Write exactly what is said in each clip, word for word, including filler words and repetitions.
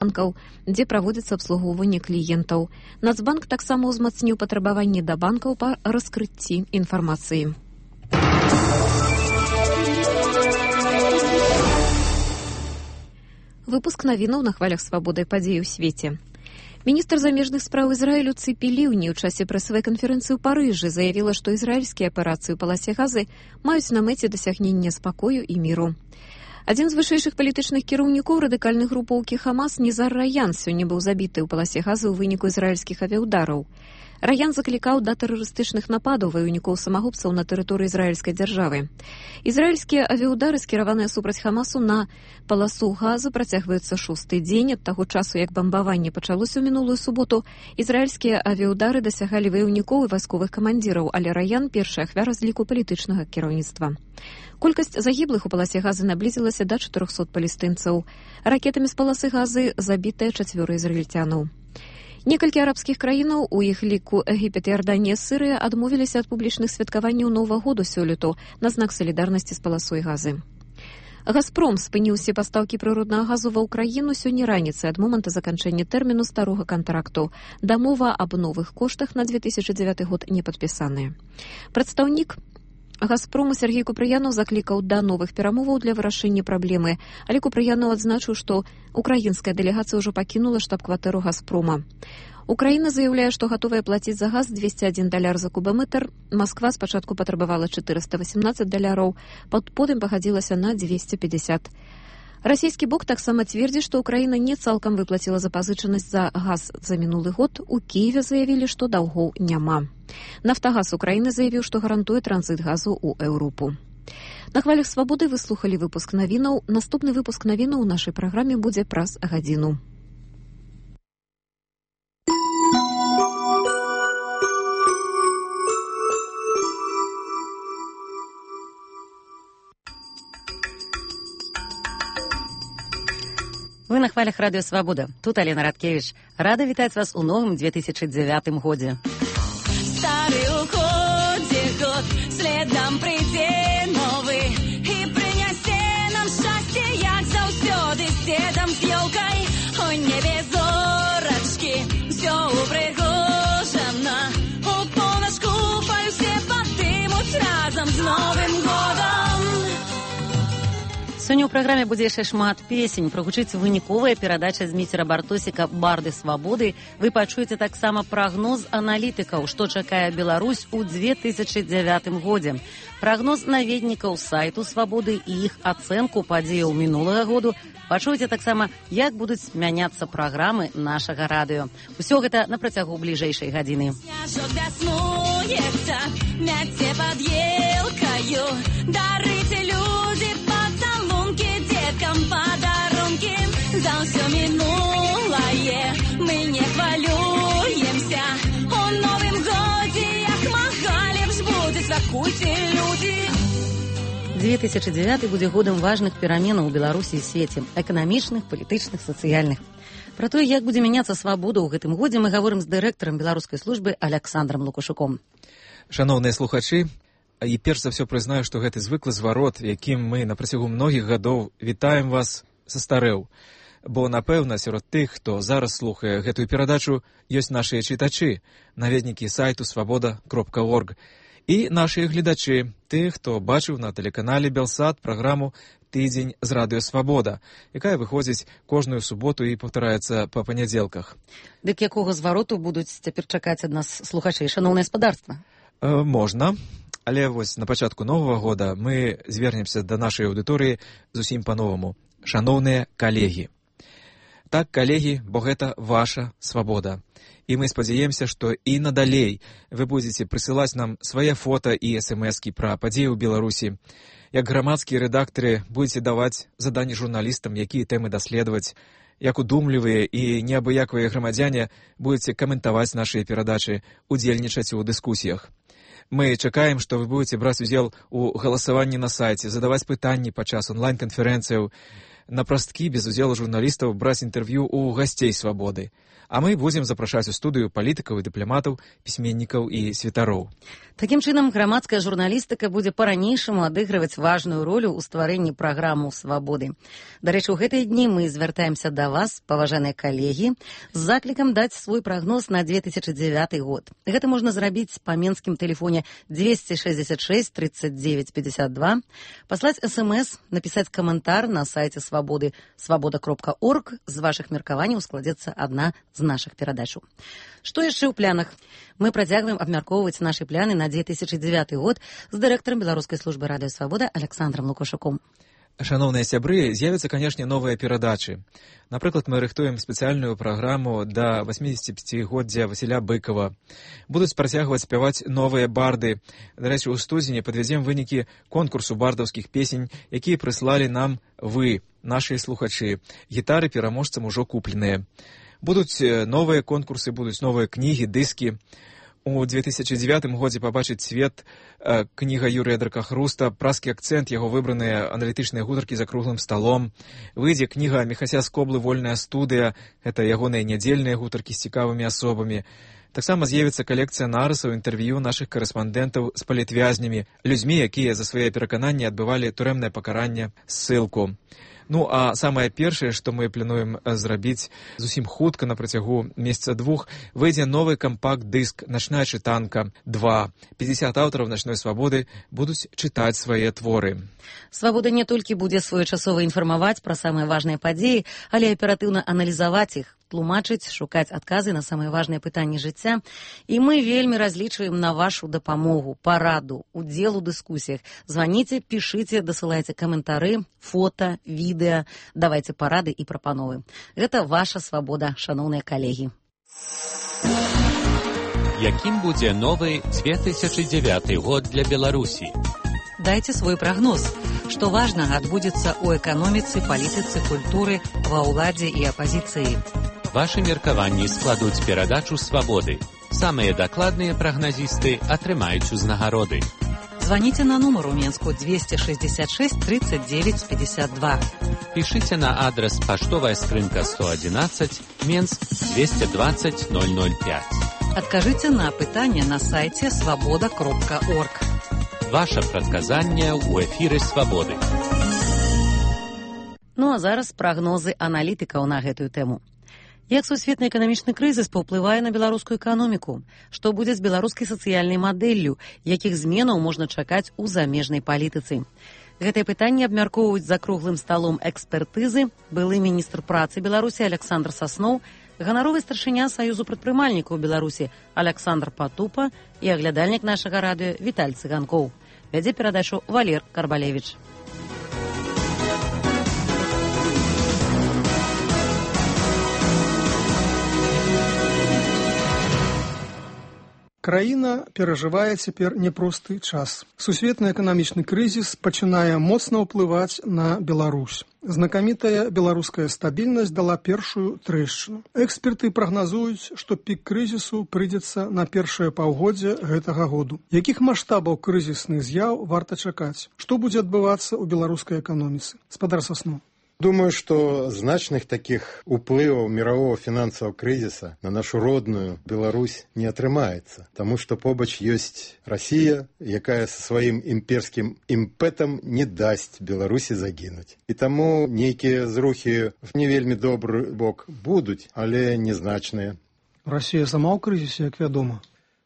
банкаў, дзе праводзіцца абслугоўванне кліентаў. Нацбанк таксама ўзмацніў патрабаванні да банкаў па раскрыцці інфармацыі. Выпуск навінаў на хвалях свабоды падзеі ў свеце. Міністр замежных спраў Ізраілю Ципі Ліўні ў часе прэсавай канферэнцыі ў Парыжы заявіла, што ізраільскія аперацыі ў паласе Газы маюць на мэце дасягнення спакою і міру. Адзін з вышэйшых палітычных кіраўнікоў радыкальнай групоўкі Хамас Нізар Раян сёння быў забіты ў паласе Газы ў выніку ізраільскіх авіяўдараў. Раян заклікаў да тэрарыстычных нападаў ваяўнікоў самагубцаў на тэрыторыі ізраільскай дзяржавы. Ізраільскія авіяўдары, скіраваныя супраць Хамасу на паласу Газы, працягваюцца шосты дзень ад таго часу, як бамбаванне пачалося ў минулую суботу. Ізраільскія авіяўдары дасягалі ваяўнікоў і вайсковых камандзіраў, але Раян першая ахвяра з ліку палітычнага кіраўніцтва. Колькасць загіблых у паласе Газы наблізілася да чатырохсот палестынцаў. Ракетамі з паласы Газы забітыя чацвёра ізраільцянаў. Некалькі арабскіх краінаў, у іх ліку Егіпет, Іорданія, Сірыя, адмовіліся ад публічных святкаванняў Новага году сёлету на знак салідарнасці з паласой Газы. Газпром спыніў усе пастаўкі прыроднага газу ва ўкраіну сёння раніцай ад моманту заканчэння тэрміну старога кантракту. Дамова аб новых коштах на две тысячы дзевяты год не падпісаная. Прадстаўнік Газпрому Сергей Купрыянаў заклікаў да новых перамоваў для вырашэння праблемы, але Купрыянаў адзначыў, што украінская дэлегацыя ўжо пакінула штаб-кватэру Газпрома. Украіна заяўляе, што гатовая плаціць за газ двесце адзін даляр за кубаметр. Масква спачатку патрабавала чатырыста васемнаццаць даляраў, потым пагадзілася на дзвесце пятьдесят. Расійскі бок таксама цвердзіць, што Украіна не цалкам выплаціла запазычанасць за газ за мінулы год. У Кіеве заявілі, што даўгоў няма. Нафтагаз Украіны заявіў, што гарантуе транзіт газу ў Еўропу. На хвалях свабоды вы слухалі выпуск навінаў. Наступны выпуск навінаў у нашай праграме будзе праз гадзіну. Вы на хвалях радыё Свабода. Тут Алена Радкевіч. Рада вітаць вас у новым две тысячи девятым годзе. Стары уходзе год, следам прыйдзе новы і прынясе нам шчасце, як заўсёды, з дзедам, з ёлкай. У небе зорачкі, усё упрыгожана. У полночку пальцы падымуць разам з Новым годам. Сёння ў праграме будзе яшчэ шмат песень. Прагучыць выніковая перадача з Міцера Бартосіка «Барды свабоды». Вы пачуеце таксама прагноз аналітыкаў, што чакае Беларусь у две тысячи девятым годзе. Прагноз наведнікаў сайту «Свабоды» і іх ацэнку падзеяў мінулага году. Пачуеце таксама, як будуць мяняцца праграмы нашага радыё. Усё гэта на працягу бліжэйшай гадзіны. Сняжок вяснуецца, мяце пад елкаю, дарыце людзі пацалункі, дзеткам падарункі. За ўсё мінулае мы не хвалюемся. У новым годзе, як мага лепш будзе, святкуйце, людзі. две тысячи девятый будзе годам важных пераменаў у Беларусі і свеце, эканамічных, палітычных, сацыяльных. Пра тое, як будзе мяняцца свабода ў гэтым годзе, мы гаворым з дырэктарам беларускай службы Аляксандрам Лукашуком. Шановныя слухачы, і перш за ўсё прызнаю, што гэты звыклы зварот, якім мы на працягу многіх гадоў вітаем вас, састарэў. Бо, напэўна, сярод тых, хто зараз слухае гэтую перадачу, ёсць нашыя чытачы, наведнікі сайту свабода кропка орг. І нашыя гледачы, тых, хто бачыў на тэлеканале Белсат праграму «Тыдзень з радыё Свабода», якая выходзіць кожную суботу і паўтараецца па панядзелках. Дык якога звароту будуць цяпер чакаць ад нас слухачы, шаноўнае спадарства? Э, можна, але вось на пачатку новага года мы звернемся да нашай аўдыторыі зусім па-новаму. Шаноўныя калегі. Так, калегі, бо гэта ваша свабода. І мы спадзяемся, што і надалей вы будзеце прысылаць нам свае фота і эс-эм-эскі пра падзеі ў Беларусі. Як грамадскія рэдактары будзеце даваць заданні журналістам, якія тэмы даследаваць, як удумлівыя і неабыякавыя грамадзяне будзеце каментаваць нашыя перадачы, удзельнічаць у дыскусіях. Мы чакаем, што вы будзеце браць удзел у галасаванні на сайце, задаваць пытанні падчас онлайн-канферэнцыяў. на прасткі без удзелу журналістаў браць інтэрв'ю ў гасцей свабоды. А мы будзем запрашаць у студыю палітыкаў і дыпламатаў, пісьменнікаў і святароў. Такім чынам, грамадская журналістыка будзе па-ранейшаму адыгрываць важную ролю ў стварэнні праграмаў свабоды. Дарэчы, у гэтыя дні мы звяртаемся да вас, паважаныя калегі, з заклікам даць свой прагноз на две тысячы дзевяты год. Гэта можна зрабіць па менскім тэлефоне двести шестьдесят шесть тридцать девять пятьдесят два, паслаць эс-эм-эс, напісаць каментар на сайце свабоды свабода кропка орг. З вашых меркаванняў складзецца адна з нашых перадачаў. Што яшчэ ў планах? Мы працягваем абмяркоўваць нашы пляны на две тысячы дзевяты год з дырэктарам беларускай службы радыё Свабода Александром Лукашуком. Шановныя сябры, з'явяцца, канешне, новыя перадачы. Напрыклад, мы рыхтуем спецыяльную праграму да восьмидесятипятигоддзя Васіля Быкова. Будуць працягваць спяваць новыя барды. Дарэчы, у студзені падвядзем вынікі конкурсу бардаўскіх песень, якія прыслалі нам вы, нашы слухачы. Гітары пераможцам ужо купленыя. Будуць новыя конкурсы, будуць новыя кнігі, дыскі. У две тысячи девятым годзе пабачыць свет э, кніга Юрыя Дракахруста, празкі акцэнт, яго выбраныя аналітычныя гутаркі за круглым сталом. Выйдзе кніга Міхася Скоблы «Вольная студыя», гэта ягоныя нядзельныя гутаркі з цікавымі асобамі. Таксама з'явіцца калекцыя нарысаў, інтэрв'ю нашых карэспандэнтаў з палітвязнямі, людзьмі, якія за свае перакананні адбывалі турэмнае пакаранне, ссылку. Ну, а самае першае, што мы плануем зрабіць зусім хутка на працягу месяца двух, выйдзе новы кампакт-дыск «Начная чытанка два». пятьдесят аўтараў «Начной свабоды» будуць чытаць свае творы. Свабода не толькі будзе своечасова інфармаваць пра самыя важныя падзеі, але аператыўна аналізаваць іх, тлумачыць, шукаць адказы на самыя важныя пытанні жыцця. І мы вельмі разлічваем на вашу дапамогу, параду, удзел у дыскусіях. Званіце, пішыце, дасылайце каментары, фота, відэа, давайце парады і прапановы. Гэта ваша свабода, шаноўныя калегі. Якім будзе новы две тысячи девятый год для Беларусі? Дайце свой прагноз. Што важнага адбудзецца ў эканоміцы, палітыцы, культуры, ва ўладзе і апазіцыі. Вашы меркаванні складуць перадачу свабоды. Самыя дакладныя прагназісты атрымаюць узнагароды. Званіце на нумар у Менску двести шестьдесят шесть тридцать девять пятьдесят два. Пішыце на адрес паштовая скрынка сто одиннадцать, Менск двести двадцать ноль ноль пять. Адкажыце на пытанне на сайце свабода кропка орг. Ваше прадказанне ў эфіры свабоды. Ну а зараз прагнозы аналітыкаў на гэтую тэму. Як сусветны эканамічны крызіс паўплывае на беларускую эканоміку? Што будзе з беларускай сацыяльнай мадэллю? Якіх зменаў можна чакаць у замежнай палітыцы? Гэтае пытанне абмяркоўваюць за круглым сталом экспертызы былы міністр працы Беларусі Александр Сасноў, ганаровы старшыня Саюзу прадпрымальнікаў Беларусі Александр Патупа і аглядальнік нашага радыё Віталь Цыганкоў. Вядзе перадачу Валер Карбалевіч. Краіна перажывае цяпер няпросты час. Сусветны эканамічны крызіс пачынае моцна ўплываць на Беларусь. Знакамітая беларуская стабільнасць дала першую трэшчыну. Эксперты прагназуюць, што пік крызісу прыйдзецца на першае паўгоддзе гэтага году. Якіх маштабаў крызісных з'яў варта чакаць? Што будзе адбывацца ў беларускай эканоміцы? Спадар Сасноў. Думаю, что значных таких уплывов мирового финансового кризиса на нашу родную Беларусь не атрымаецца, тому что побач ёсць Россия, якая со сваім імперскім імпэтам не дасць Беларусі загінуць. І таму нейкія зрухі в не вельмі добры бок будуць, але незначныя. Россия сама ў крызісе, як вядома.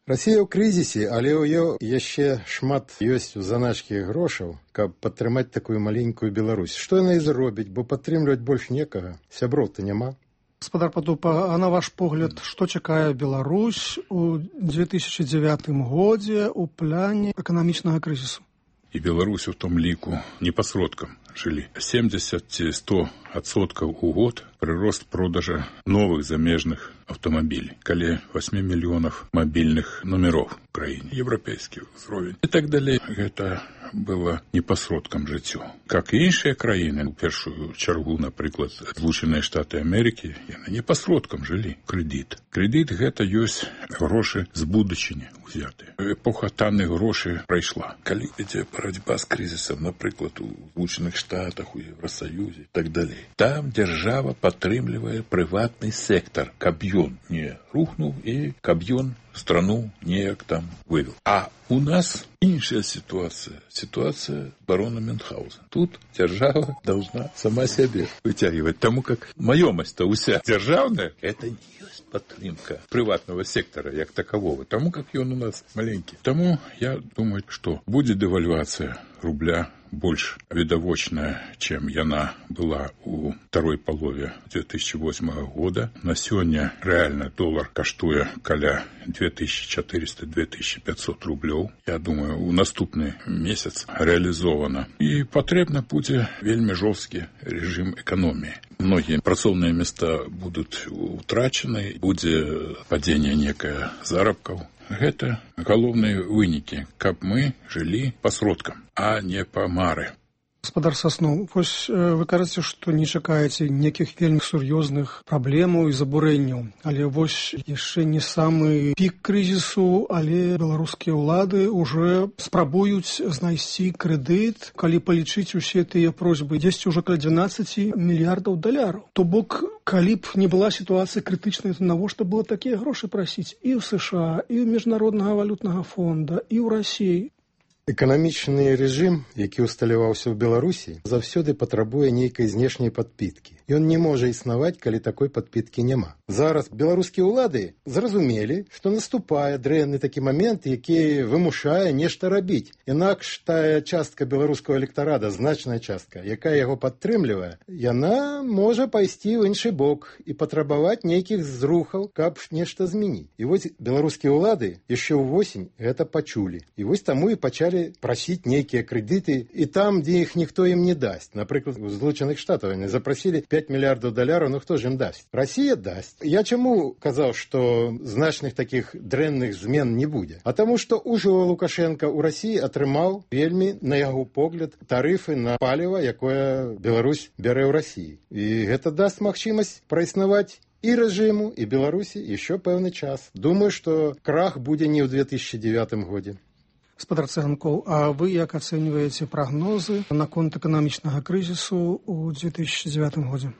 Россия ў крызісе, але ў ёй яшчэ шмат ёсць у заначкі грошаў, каб падтрымаць такую маленькую Беларусь. Што яна і зробіць, бо падтрымліваць больш некага, сяброў-то няма. Спадар Патупа, а на ваш погляд, што чакае Беларусь у две тысячи девятым годзе ў пляне эканамічнага крызісу? І Беларусь у том ліку не па сродкам жылі. семьдесят - сто адсоткаў у год прырост продажа новых замежных автомобилей, каля восьми миллионов мобильных номеров в краине, европейский уровень и так далее. Это было не по сродкам жыццю. Как и іншыя краіны, у першую чаргу, напрыклад, Злучаныя Штаты Америки, яны не по сродкам жылі. Кредит. Кредит гэта ёсць грошы з будучыні узятыя. Эпоха танных грошай прайшла. Калі ідзе барацьба з крызісам, напрыклад, у Злучаных Штатах, у Евросоюзе и так далее. Там держава падтрымлівае прыватны сектор, каб ён не рухнуў і каб ён страну неяк там вывел. А у нас іншая ситуация. Ситуация барона Мюнхгаузена. Тут держава должна сама себе вытягивать. Тому как маёмасць-то уся державная, это не есть падтрымка приватного сектора як такового. Тому как ён у нас маленький. Тому я думаю, что будет девальвация рубля больш відавочная, чым яна была у второй палове две тысячи восьмого года. На сёння рэальна долар каштуе каля две тысячи четыреста - две тысячи пятьсот рублёў. Я думаю, у наступны месяц реализовано. І патрэбна будзе вельмі жорсткі режим эканоміі. Многія працоўныя места будуць утрачаны, будзе падзенне некае заробкаў. Гэта галоўныя вынікі, каб мы жылі па сродкам, а не па мары. Гаспадар Сасноў, вось вы кажаце, што не чакаеце нейкіх вельмі сур'ёзных праблемаў і забурэнняў, але вось яшчэ не самы пік крызісу, але беларускія ўлады ўжо спрабуюць знайсці крэдыт, калі палічыць усе тыя просьбы, дзесьці ўжо каля дванаццаць мільярдаў даляраў. То бок, калі б не была сітуацыя крытычная, то навошта было такія грошы прасіць і ў США, і ў міжнароднага валютнага фонда, і ў Расіі? Эканамічны рэжым, які ўсталяваўся ў Беларусі, заўсёды патрабуе нейкай знешняй падпіткі. Ён не можа існаваць, калі такой падпіткі няма. Зараз беларускія ўлады зразумелі, што наступае дрэнны такі момент, які вымушае нешта рабіць. Інакш тая частка беларускага электарада, значная частка, якая яго падтрымлівае, яна можа пайсці ў іншы бок і патрабаваць нейкіх зрухаў, каб нешта змяніць. І вось беларускія ўлады яшчэ ўвосень гэта пачулі. І вось таму і пачалі прасіць нейкія крэдыты, і там, дзе іх ніхто ім не дасць. Напрыклад, у Злучаных Штатаў яны запрасілі пять мільярдаў даляраў, ну хто ж ім дасць? Расія дасць. Я чаму казаў, што значных такіх дрэнных змен не будзе? А таму, што ўжо Лукашенко ў Расіі атрымаў вельмі, на яго погляд, тарыфы на паліва, якое Беларусь бярэ ў Расіі. І гэта даст магчымасць праіснаваць і рэжыму, і Беларусі яшчэ пэўны час. Думаю, што крах будзе не ў две тысячи девятым годзе. Гаспадар Цыганкоў, а вы як ацэньваеце прагнозы наконт эканамічнага крызісу ў две тысячи девятым годзе?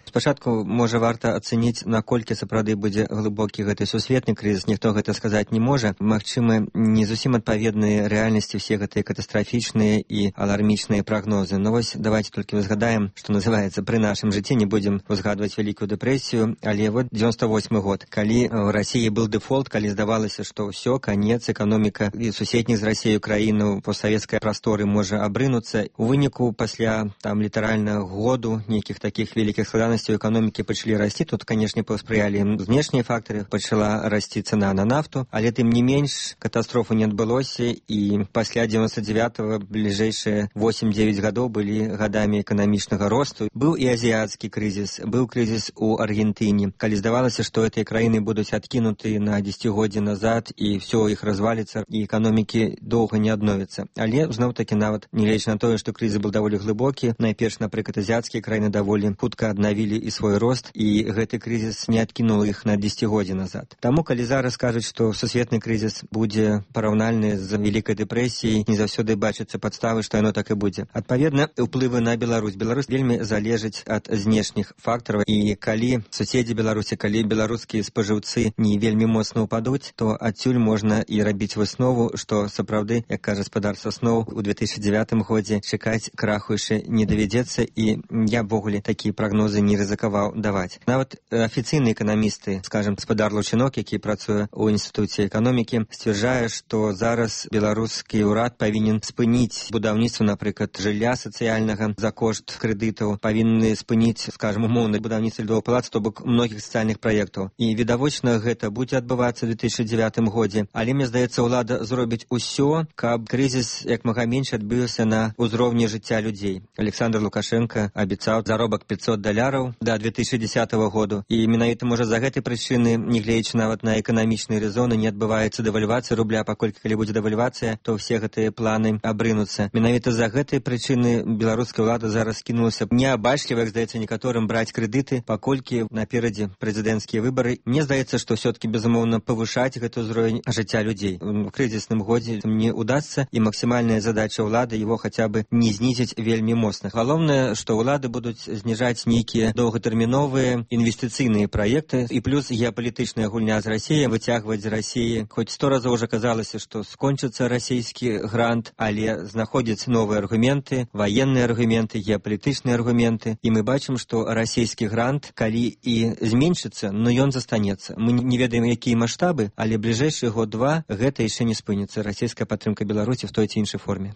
Спачатку, можа, варта ацэніць, наколькі сапраўды будзе глыбокі гэты сусветны крызіс. Ніхто гэта сказаць не можа. Магчыма, не зусім адпаведныя рэальнасці все гэтыя катастрафічныя і алармічныя прагнозы. Но вось давайте толькі узгадаем, што называецца, пры нашым жыцці не будзем узгадваць вялікую дэпрэсію, але вот девяносто восьмы год, калі ў Расіі был дэфолт, калі здавалася, што ўсё, канец, эканоміка і суседніх з Расіяю краіну постсавецкай прасторы можа абрынуцца. У выніку пасля там літаральна году нейкіх такіх вялікіх складанасцей у эканомікі пачалі расці. Тут, канешне, паспрыялі знешнія фактары, пачала расці цана на нафту, але тым не менш катастрофы не адбылося, і пасля девяносто девятого бліжэйшыя восемь-девять гадоў былі гадамі эканамічнага росту. Быў і азіяцкі крызіс, быў крызіс у Аргентыне, калі здавалася, што гэтыя краіны будуць адкінуты на дзесяцігоддзе назад і ўсё іх разваліцца, і эканомікі доўга не адновяцца. Але зноў-такі нават, нягледзячы на тое, што крызіс быў даволі глыбокі, найперш, напрыклад, азіяцкія краіны даволі хутка аднавілі і свой рост, і гэты крызіс не адкінуў іх на дзесяцігоддзе назад. Таму, калі зараз кажуць, што сусветны крызіс будзе параўнальны з вялікай дэпрэсіяй, не заўсёды бачыцца падставы, што яно так і будзе. Адпаведна, ўплывы на Беларусь. Беларусь вельмі залежыць ад знешніх фактараў, і калі суседзі Беларусі, калі беларускія спажыўцы не вельмі моцна ўпадуць, то адсюль можна і рабіць выснову, што сапраўды, як кажа гаспадар Сасноў, у две тысячи девятым годзе чакаць краху яшчэ не давядзецца, і я ввогуле такія прагнозы не рызыкаваў даваць. Нават афіцыйныя эканамісты, скажем, гаспадар Лучынок, які працуе ў інстытуце эканомікі, сцвярджае, што зараз беларускі ўрад павінен спыніць будаўніцтва, напрыклад, жылля сацыяльнага за кошт крэдытаў, павінны спыніць, скажем, умоўна будаўніцтва льдовых палац, то бок многіх сацыяльных праектаў. І відавочна гэта будзе адбывацца ў две тысячи девятым годзе. Але мне здаецца, ўлада зробіць усё, каб крызіс як мага менш адбыўся на ўзроўні жыцця людзей. Александр Лукашенко абяцаў заробак пятьсот даляраў да две тысячи десятого году. І менавіта, можа, за гэтай прычыны, нягледзячы нават на эканамічныя рэзоны, не адбываецца дэвальвацыя рубля, паколькі калі будзе дэвальвацыя, то ўсе гэтыя планы абрынуцца. Менавіта за гэтай прычыны беларуская ўлада зараз кінулася неабачліва, як здаецца некаторым, браць крэдыты, паколькі наперадзе прэзідэнцкія выбары. Мне здаецца, што ўсё-таки, безумоўна, павышаць гэты ўзровень жыцця людзей. У крызісным годзе не удасца, і максімальная задача ўлады его хаця бы не знізіць вельмі моцна. Галоўнае, што ўлады будуць зніжаць нейкія доўгатэрміновыя інвестыцыйныя праекты, і плюс геапалітычная гульня з Расіяй, выцягваць з Расіі. Хоць сто разоў уже казалася, што скончыцца расійскі грант, але знаходзяць новыя аргументы, ваенныя аргументы, геапалітычныя аргументы, і мы бачым, што расійскі грант, калі і зменшыцца, но ён застанецца. Мы не ведаем, якія маштабы, але бліжэйшы год-два гэта яшчэ не спыніцца, расійская падтрымка Беларусі в той ці іншай форме.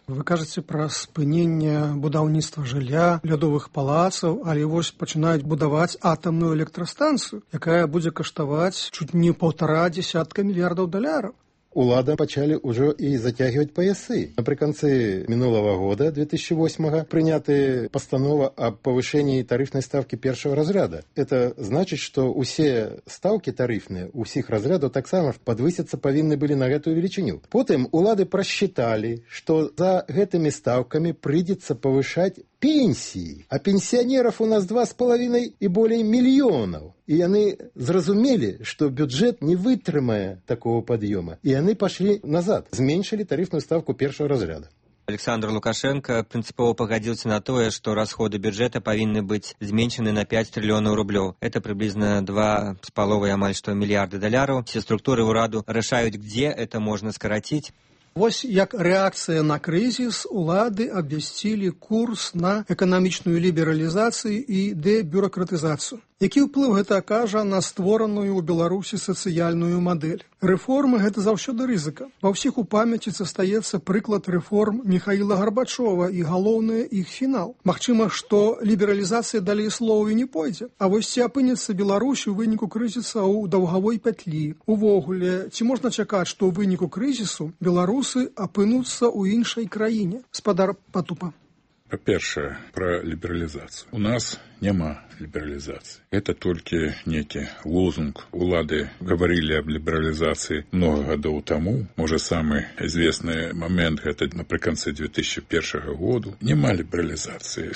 Вы кажаце пра спыненне будаўніцтва жылля, лядовых палацаў, але вось пачынаюць будаваць атамную электрастанцыю, якая будзе каштаваць чуць не паўтара дзесятка мільярдаў даляраў. Улада пачалі ўжо і зацягивать поясы. Напрыканцы минулого года, две тысячи восьмого, прыняты постанова об повышении тарифной ставки первого разряда. Это значит, что усе ставки тарифные у всех разрядов так само подвыситься повинны были на эту величину. Потом улады просчитали, что за этими ставками придется повышать пенсии, а пенсионеров у нас два с половиной и более миллионов. И они зразумели, что бюджет не вытрымае такого подъема. И они пошли назад, зменшили тарифную ставку первого разряда. Александр Лукашенко принципово погодился на то, что расходы бюджета повинны быть зменшены на пять триллионов рублей. Это приблизно два с половой амаль что миллиарда долларов. Все структуры ураду решают, где это можно скоротить. Вось як рэакцыя на крызіс улады абвясцілі курс на эканамічную лібералізацыю і дэбюракратызацыю. Які ўплыў гэта акажа на створаную ў Беларусі сацыяльную мадэль? Рэформы гэта заўсёды рызыка. Ва ўсіх у памяці застаецца прыклад рэформ Михаіла Гарбачова і галоўны іх фінал. Магчыма, што лібералізацыя далей слоў і не пойдзе. А вось ці апынецца Беларусь у выніку крызіса ў даўгавой пятлі? Увогуле, ці можна чакаць, што ў выніку крызісу беларусы апынуцца ў іншай краіне? Спадар Патупа. Па-першае, пра лібералізацыю. У нас няма лібералізацыі. Это толькі некі лозунг. Улады гаварылі аб лібералізацыі много гадоў таму. Можа, самы известны момент гэта напрыканцы две тысячи первого году. Няма лібералізацыі.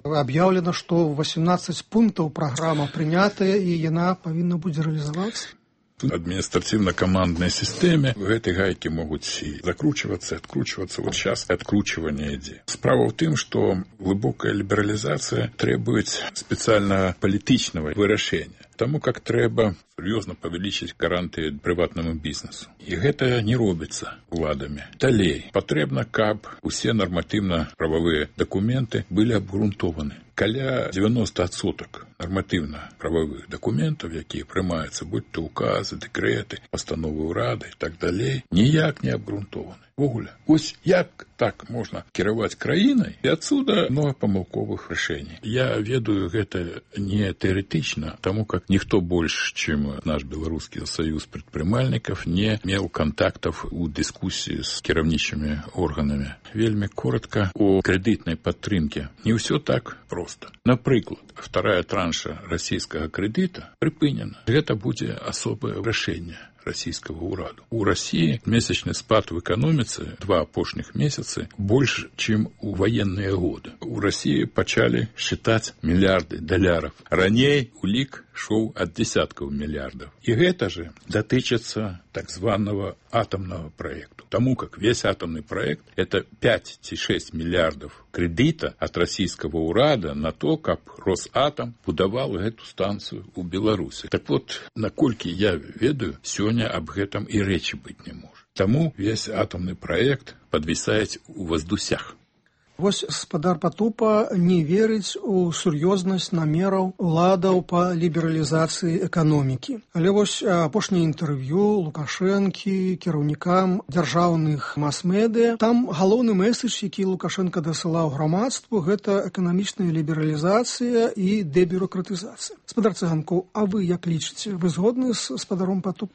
Аб'яўлена, што восемнадцать пунктаў праграма прынятая і яна павінна будзе рэалізавацца. Административно-командной системе в этой гайке могут и закручиваться, и откручиваться. Вот сейчас откручивание идет. Справа в том, что глубокая либерализация требует специально политичного вырашения. Тому как трэба сур'ёзна павялічыць гарантыі прыватнаму бізнесу. І гэта не робіцца уладамі. Далей, патрэбна, каб усе нарматыўна-прававыя дакументы былі абгрунтованы. Каля девяносто процентов нормативно-правовых документов, якія прымаюцца, будь то указы, дэкрэты, пастановы ўрады і так далей, ніяк не абгрунтованы. Вогуле. Ось як так можна кіраваць краінай, і адсюда много памылковых рашэній. Я ведаю гэта не тэарэтычна, таму как ніхто больш, чым наш Беларускі саюз прадпрымальнікаў, не меў контактов у дыскусіі з кіраўнічымі органамі. Вельмі коротко о крэдытнай падтрымке. Не ўсё так просто. Напрыклад, вторая транша расійскага крэдыта прыпынена. Гэта будзе асобае рашэнне российского ураду. У России месячный спад в экономице два апошних месяца больше, чем у военные годы. У России почали считать миллиарды долларов. Ранее улик шел от десятков миллиардов. И это же дотычется так званого атомного проекта. Тому как весь атомный проект это пять-шесть миллиардов кредита от российского урада на то, как Росатом будовал эту станцию у Беларуси. Так вот, накольки я ведаю, сегодня об этом и речи быть не может. Тому весь атомный проект подвисает у воздусях. Вось спадар Патупа не верыць у сур'ёзнасць намераў уладаў па лібералізацыі эканомікі. Але вось апошняе інтэрв'ю Лукашэнкі кіраўнікам дзяржаўных мас-медыя, там галоўны мэсэдж, які Лукашенко дасылаў грамадству, гэта эканамічная лібералізацыя і дэбюракратызацыя. Спадар Цыганкоў, а вы як лічыце? Вы згодны з спадаром Патупа?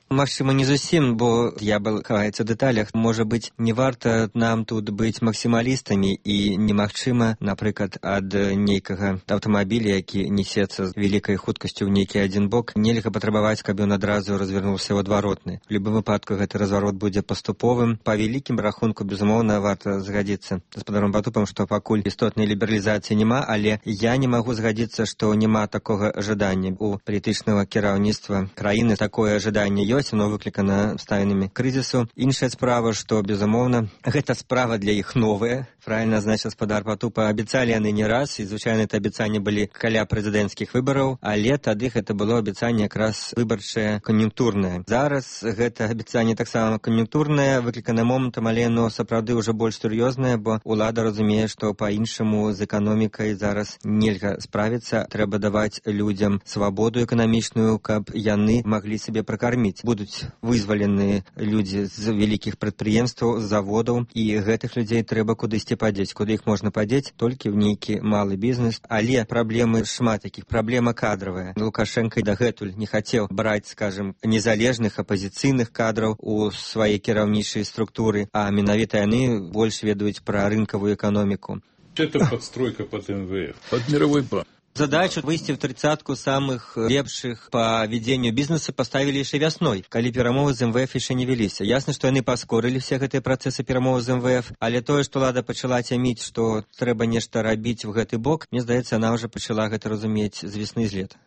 Магчыма, не зусім, бо д'ябал хаваецца ў дэталях. Можа быць, не варта нам тут быць максімалістамі і немагчыма, напрыклад, ад нейкага аўтамабіля, які несецца з вялікай хуткасцю ў нейкі адзін бок, нельга патрабаваць, каб ён адразу развярнуўся ў адваротны. У любым выпадку гэты разварот будзе паступовым. Па вялікім рахунку, безумоўна, варта згадзіцца з гаспадаром Патупам, што пакуль істотнай лібералізацыі няма, але я не магу згадзіцца, што няма такога жадання у палітычнага кіраўніцтва краіны. Такое жаданне ёсць. Оно выклікана абставінамі крызісу. Іншая справа, што, безумоўна, гэта справа для іх новая. Правильно, значит, гаспадар Патупа абяцалі яны не раз, і, звычайна, это абяцанні былі каля прэзідэнцкіх выбараў, але тады гэта было абяцанне якраз выбарчае, кан'юнктурнае. Зараз гэта абяцанне таксама кан'юнктурнае, выклікана момантам, але оно сапраўды ўжо больш сур'ёзнае, бо ўлада разумее, што па-іншаму з эканомікай зараз нельга справіцца. Трэба даваць людзям свабоду эканамічную, каб яны маглі сябе пракарміць. Будуць вызвалены людзі з вялікіх прадпрыемстваў, з заводаў, і гэтых людзей трэба кудысьці падзець. Куды іх можна падзець? Толькі ў нейкі малы бізнес. Але праблемы шмат якіх. Праблема кадравая. Лукашенко дагэтуль не хацеў браць, скажем, незалежных апазіцыйных кадраў у свае кіраўнічай структуры, а менавіта яны больш ведаюць пра рынкавую эканоміку. Это подстройка под эм вэ эф, под мировой банк. Задачу выйсці в тридцатку самых лепшых по ведению бизнеса поставили еще весной, калі перамовы з эм вэ эф еще не веліся. Ясна, што яны паскорылі все гэтыя працэсы перамовы з эм вэ эф, але тое, што ўлада пачала цяміць, што трэба нешта рабіць в гэты бок, мне здаецца, она ўжо пачала гэта разумець з весны з лета.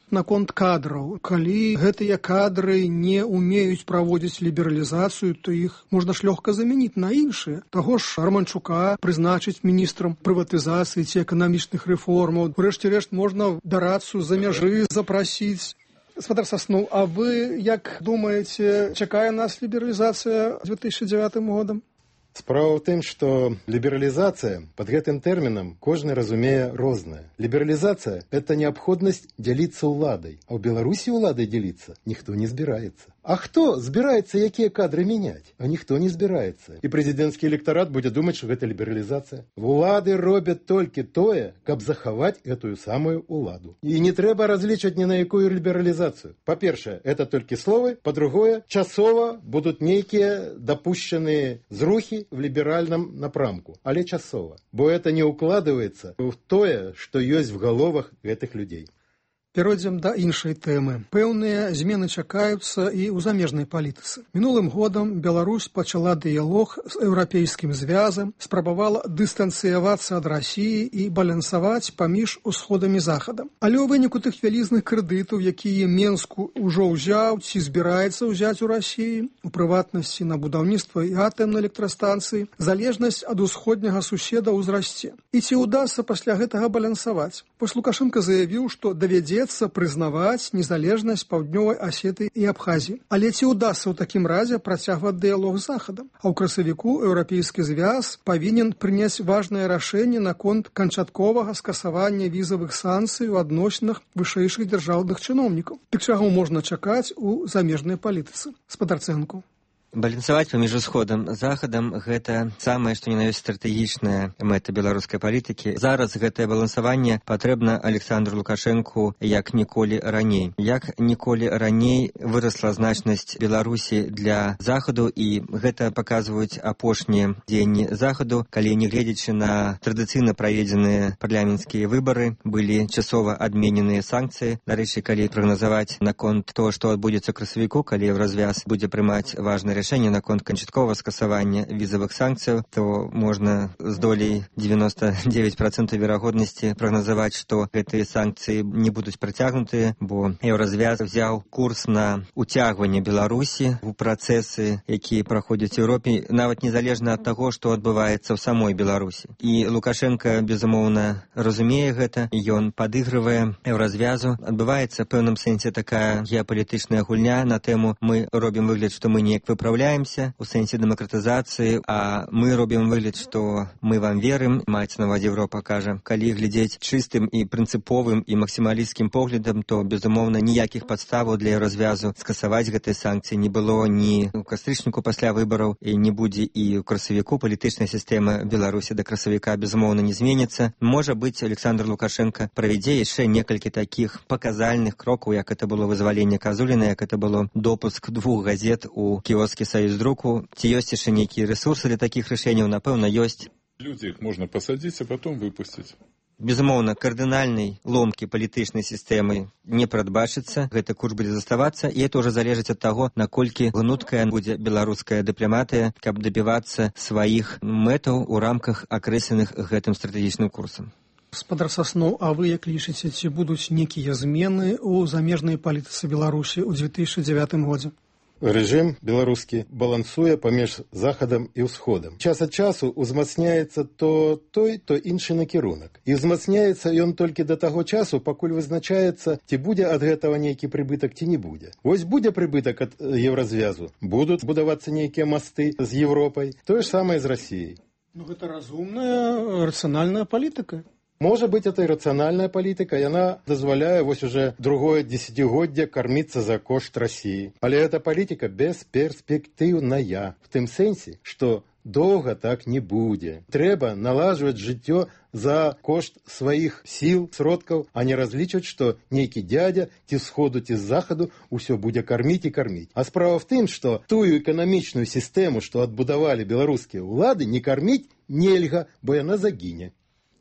Наконт кадраў. Калі гэтыя кадры не умеюць праводзіць лібералізацыю, то іх можна ж лёгка замяніць на іншыя. Таго ж Романчука прызначыць міністрам прыватызацыі ці эканамічных рэформаў. Урэшце рэшт можна дарацу за мяжы запрасіць. Гаспадар Сасноў, а вы як думаеце, чакае нас лібералізацыя две тысячи девятым годам? Справа ў тым, што лібералізацыя пад гэтым тэрмінам кожны разумее рознае. Лібералізацыя – это неабходнасць дзяліцца ўладай, а ў Беларусі ўладай дзяліцца ніхто не збіраецца. А хто збіраецца якія кадры мяняць? А ніхто не збіраецца. І прэзідэнцкі электарат будзе думаць, што гэта лібералізацыя. Улады робяць толькі тое, каб захаваць гэтую самую уладу. І не трэба разлічваць ні на якую лібералізацыю. Па-першае, это толькі словы. Па-другое, часова будуць нейкія дапушчаныя зрухі в ліберальным напрамку. Але часова. Бо это не укладываецца ў тое, што ёсць в галовах гэтых людзей. Перайдзем да іншай тэмы. Пэўныя змены чакаюцца і ў замежнай палітыцы. Мінулым годам Беларусь пачала дыялог з еўрапейскім звязам, спрабавала дыстанцыявацца ад Расіі і балансаваць паміж усходам і захадам. Але ў выніку тых вялізных крэдытаў, якія Менску ўжо ўзяў ці збіраецца ўзяць у Расіі, у прыватнасці на будаўніцтва і атамнай электрастанцыі, залежнасць ад усходняга суседа ўзрасце. І ці ўдасца пасля гэтага балансаваць? Вось Лукашенко заявіў, што давядзецца прызнаваць незалежнасць Паўднёвай Асеты і Абхазіі. Але ці ўдасца ў такім разе працягваць дыялог з захадам? А ў красавіку еўрапейскі звяз павінен прыняць важнае рашэнне наконт канчатковага скасавання візавых санкцый у адносінах вышэйшых дзяржаўных чыноўнікаў. Дык чаго можна чакаць у замежнай палітыцы? Гаспадар Цэнку. Балансаваць паміж усходам і захадам – гэта самае, што не ёсць стратэгічная мэта беларускай палітыкі. Зараз гэтае балансаванне патрэбна Александру Лукашэнку як ніколі раней. Як ніколі раней вырасла значнасць Беларусі для захаду, і гэта паказваюць апошнія дзеянні захаду, калі, не гледзячы на традыцыйна праведзеныя парламенцкія выбары, былі часова адмененыя санкцыі. Дарэчы, калі прагназаваць наконт того, што адбудзецца ў красавіку, калі Еўразвяз будзе прымаць важнае рашэнне наконт канчатковага скасавання візавых санкцыяў, то можна з долей девяносто девять процентов верагоднасці прагназаваць, што гэтыя санкцыі не будуць працягнутыя, бо Еўразвяз взяў курс на уцягванне Беларусі ў працэсы, якія праходзяць у Еўропе, нават незалежна ад таго, што адбываецца ў самой Беларусі. І Лукашенко, безумоўна, разумее гэта, ён падыгрывае Еўразвязу. Адбываецца ў пэўным сэнсе такая геапалітычная гульня на тэму «мы робім выгляд, што мы неяк выправляем выпраўляемся у сэнсе дэмакратызацыі, а мы робім выгляд, што мы вам верым. Маецца на ўвазе Еўропа кажа, калі глядзець чыстым і прынцыповым і максімалісцкім поглядам, то, безумоўна, ніякіх падставаў для развязу скасаваць гэтыя санкцыі не было ні ў кастрычніку пасля выбараў, і не будзе і ў красавіку. Палітычная сістэма Беларусі да красавіка, безумоўна, не зменіцца. Можа быць, Александр Лукашенко правядзе яшчэ некалькі такіх паказальных крокаў, як это было вызваленне Казуліна, як это было допуск двух газет у кіоскі Саюздруку. Ці ёсць яшчэ нейкія рэсурсы для такіх рашэнняў? Напэўна, ёсць. Люди их можно посадить, а потом выпустить. Безумоўна, кардынальнай ломкі палітычнай сістэмы не прадбачыцца. Гэты курс будзе заставацца, і это ўжо залежыць ад таго, наколькі гнуткая будзе беларуская дыпламатыя, каб дабівацца сваіх мэтаў у рамках акрэсленых гэтым стратэгічным курсам. Гаспадар Сасноў, а вы як лічыце, ці будуць нейкія змены ў замежнай палітыцы Беларусі ў две тысячы дзевятым годзе? Рэжым беларускі балансуе паміж захадам і ўсходам. Час ад часу узмацняецца то той, то іншы накірунак. І узмацняецца ён толькі да таго часу, пакуль вызначаецца, ці будзе ад гэтага нейкі прыбытак, ці не будзе. Вось будзе прыбытак ад еўразвязу, будуць будавацца нейкія масты з Еўропай, тое ж самае з Расіяй. Ну, гэта разумная, рацыянальная палітыка. Можа быць, это і рацыянальная палітыка, яна дазваляе вось уже другое дзесяцігоддзе карміцца за кошт Расіі. Але гэта палітыка бесперспектыўная, в тым сэнсе, што доўга так не будзе. Трэба налажваць жыццё за кошт сваіх сіл, сродкаў, а не разлічваць, што нейкі дядя ці з сходу, ці з захаду ўсё будзе карміць і карміць. А справа в тым, што тую эканамічную сістэму, што адбудавалі беларускія ўлады, не карміць нельга, бо яна загіне.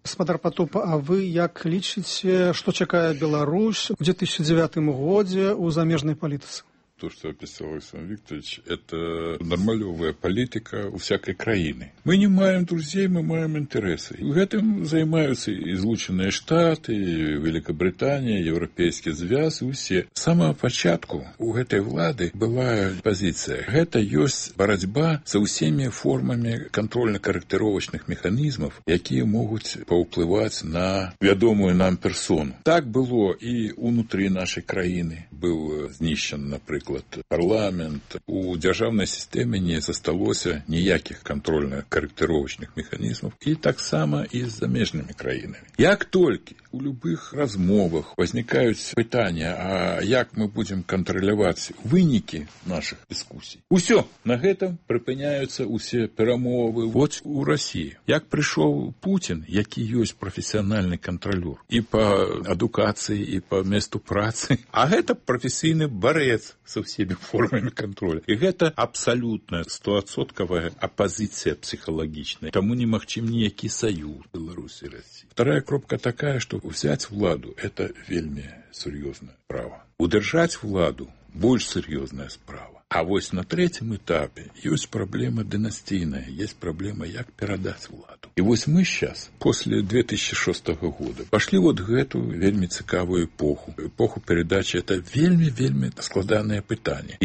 Гаспадар Патоп, а вы як лічыце, што чакае Беларусь у две тысячи девятым годзе ў замежнай палітыцы? То, что описал Александр Викторович, это нормалевая политика у всякой краины. Мы не маем друзей, мы маем интересы. И этим занимаются и Злученные Штаты, и Великобритания, Европейский Звяз, и все. С самого початку у этой влады была позиция. Это есть борьба со всеми формами контрольно-корректировочных механизмов, какие могут повпливать на ведомую нам персону. Так было и внутри нашей краины. Был знищен, например, парламент. У дзяржаўнай сістэмы не засталося ніякіх кантрольна-карэктыровачных механізмаў, і таксама і з замежнымі краінамі. Як толькі у любых размовах возникаюць пытанні, а як мы будзем кантраляваць вынікі нашых дыскусій, усё, на гэтым прыпыняюцца усе перамовы. Вот у Расіі. Як прыйшоў Путін, які ёсць прафесіянальны кантралёр і па адукацыі, і па месту працы, а гэта прафесійны барэц со всеми формами контроля. И это абсолютная стопроцентная оппозиция психологичная. Тому не магчым ніякі союз Беларуси и России. Вторая кропка такая, что взять владу – это вельми серьезная справа. Удержать владу – больш серьезная справа. А вось на третьем этапе есть проблема династийная, есть проблема, як перадать владу. И вось мы сейчас, после две тысячи шестого года, пошли вот гэту вельми цікавую эпоху. Эпоху передачи – это вельми-вельми складанное пытание.